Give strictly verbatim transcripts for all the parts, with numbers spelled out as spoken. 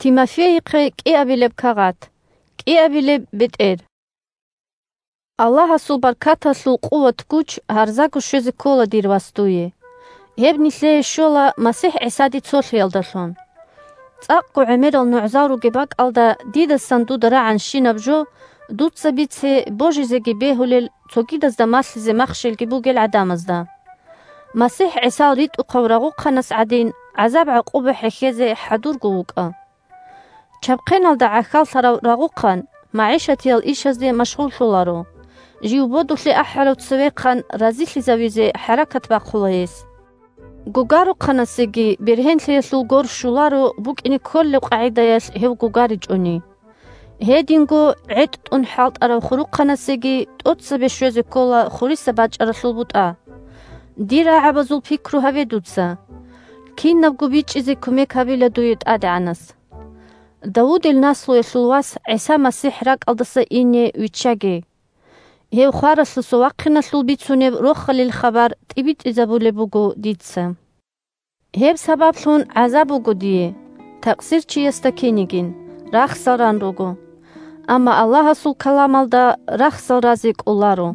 Тимофейихъе кӀиабилеб кагъат. КӀиабилеб бетӀер. Аллагьасул баркаталъул къуват-гуч гьарзаго щвезе ккола, дир вас, дуе. Гьеб нилъее щола МасихӀ ГӀисаде цолъиялдалъун. ЦӀакъго гӀемерал нугӀзал ругеб бакӀалда дидасан дуда рагӀанщинаб жо, дуца бице, божизеги бегьулел, цогидазда малъизе махщелги бугел гӀадамазда. МасихӀ ГӀисал ритӀухъав рагъухъанас гӀадин, гӀазаб-гӀакъуба хӀехьезе хӀадурго вукӀа. Чабхъеналда гӀахьаллъарав рагъухъан, магӀишатиял ишазде машгъуллъуларо, жив бодулъе ахӀарав цевехъан разилъизавизе хӀаракат бахъула гьес. Гугарухъанасеги бергьенлъиялъул гор щуларо букӀине кколеб къагӀидаялъ гьев гугаричӀони. Гьединго гӀетӀ тӀун хӀалтӀарав хурухъанасеги тӀоцебе щвезе ккола хурисаб бачӀаралъул бутӀа. Дир рагӀабазул пикру гьабе дуца. Кинабго бичӀчӀизе кумек гьабила дуе ТӀадегӀанас. Давудил наслуялъул вас ГӀиса МасихӀ ракӀалдаса ине виччаге. Гьев хваралъуса вахъиналъул бицунеб рохалил хабар тӀибитӀизабулеб буго дица. Гьеб сабаблъун гӀазаб буго дие, такъсир чиясда кинигин, рахсал ран руго. Амма Аллагьасул каламалда рахсал разе кӀоларо.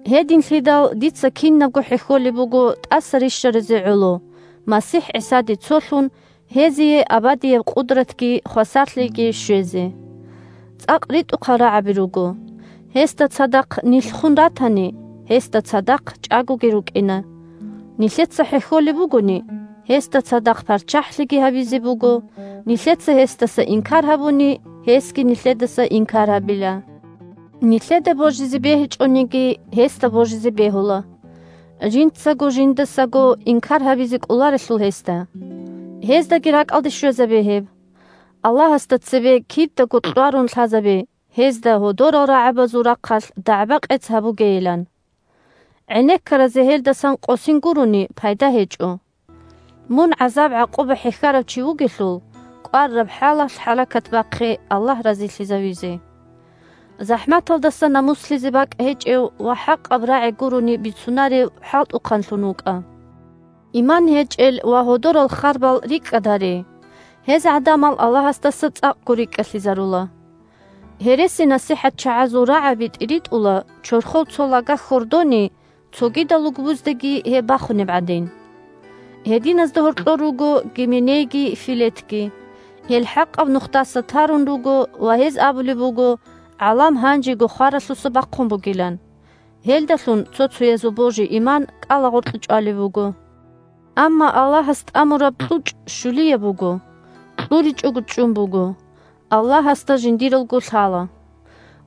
Гьединлъидал дица кинабго хӀехьолеб буго тӀаса рищаразе гӀоло, МасихӀ ГӀисаде цолъун, гьезие абадияб къудратги хвасарлъиги щвезе. ЦӀакъ ритӀухъал рагӀаби руго. Гьесда цадахъ нилъ хун ратани, гьесда цадахъ чӀагоги рукӀина. Нилъеца хӀехьолеб бугони, гьесда цадахъ парччахӀлъиги гьабизе буго, нилъеца гьесдаса инкар гьабуни, гьесги нилъедаса инкар гьабила. Нилъеда божизе бегьичӀониги, гьесда божизе бегьула. Жинцаго жиндасаго инкар гьабизе кӀоларелъул гьесда. Гьездаги ракӀалде щвезабе гьеб. Аллагьасда цебе кидаго кьварун лъазабе, гьезда гьодорал рагӀабазул рахъалъ дагӀба-къец гьабугейилан. ГӀенеккаразе гьелдасан къосин гурони пайда гьечӀо. Мун гӀазаб-гӀакъуба хӀехьарав чи вугелъул, кӀвараб хӀалалъ хӀаракат бахъе Аллагь разилъизавизе. ЗахӀматалдаса намуслъизе бакӀ гьечӀев ва хӀакъаб рагӀи гурони бицунарев хӀалтӀухъанлъун вукӀа. Иман гьечӀел ва гьодорал харбал рикӀкӀад гьаре. Гьез гӀадамал Аллагьасдаса цӀакъго рикӀкӀалъизарула. Гьереси-насихӀатчагӀазул рагӀаби тӀиритӀула, чорхол цо лага хьордони, цогидал лугбуздаги гьеб бахунеб гӀадин. Гьединазда гьоркьор руго Гименейги Филетги. Гьел хӀакъаб нухдаса тарун руго ва гьез абулеб буго, гӀалам гьанжего хваралъуса бахъун бугилан. Гьелдалъун цо-цоязул божи-иман кӀалагъоркье чӀвалеб буго. Амма Аллагьас тӀамураб кьучӀ щулияб буго, кьуричӀого чӀун буго, Аллагьасда жиндиралго лъала.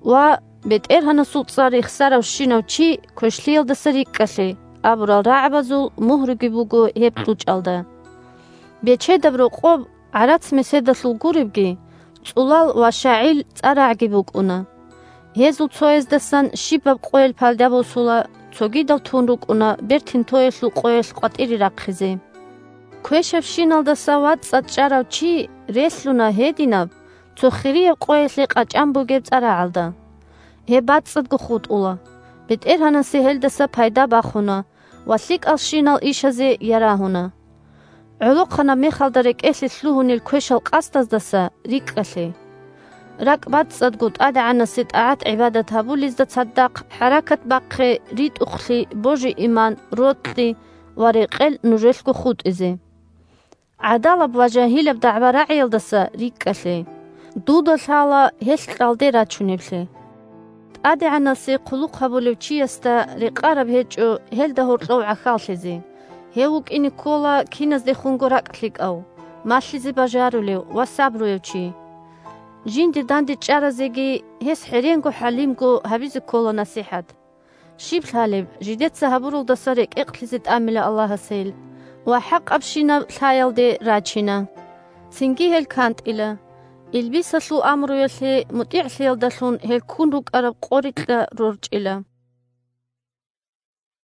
Ва «БетӀергьанасул цӀар рехсаравщинав чи квешлъиялдаса рикӀкӀалъе» абурал рагӀабазул мугьруги буго гьеб кьучӀалда. Бечедаб рокъоб, гӀарац-меседалъул гуребги, цӀулал ва щагӀил цӀарагӀги букӀуна. Гьезул цояздасан щибаб къоялъ пайда босула, цогидал тун рукӀуна бертин тоялъул къоялъ къватӀире рахъизе. Квешабщиналдаса вацӀцӀад чӀарав чи релълъуна гьединаб, цо хирияб къоялъе къачӀан бугеб цӀарагӀалда. Гьеб бацӀцӀадго хутӀула. БетӀергьанасе гьелдаса пайда бахуна ва лъикӀалщинал ишазе ярагьуна. ГӀолохъанаб мехалда рекӀелъе лъугьунел квешал къасдаздаса рикӀкӀалъе. РакӀ бацӀцӀадго ТӀадегӀанасе тӀагӀат-гӀибадат гьабулезда цадахъ хӀаракат бахъе ритӀухълъи, божи-иман, рокьи ва рекъел нужелъго хутӀизе. ГӀадалаб ва жагьилаб дагӀба рагӀиялдаса рикӀкӀалъе. Дуда лъала гьелъ кьалде рачунеблъи. ТӀадегӀанасе хъулухъ гьабулев чиясда рекъараб гьечӀо гьелда гьоркьов гӀахьаллъизе, гьев вукӀине ккола киназдехунго ракӀ лъикӀав, малъизе бажарулев ва сабруяв чи. Жинде дандечӀаразеги гьес хӀеренго-хӀалимго гьабизе ккола насихӀат. Щиб лъалеб, жидеца гьабуралдаса рекӀекълъизе тӀамила Аллагьас гьел ва хӀакъабщинаб лъаялде рачина. Цинги гьел кантӀила. Илбисалъул амруялъе мутӀигӀлъиялдалъун гьел ккун рукӀараб къорикьа рорчӀила.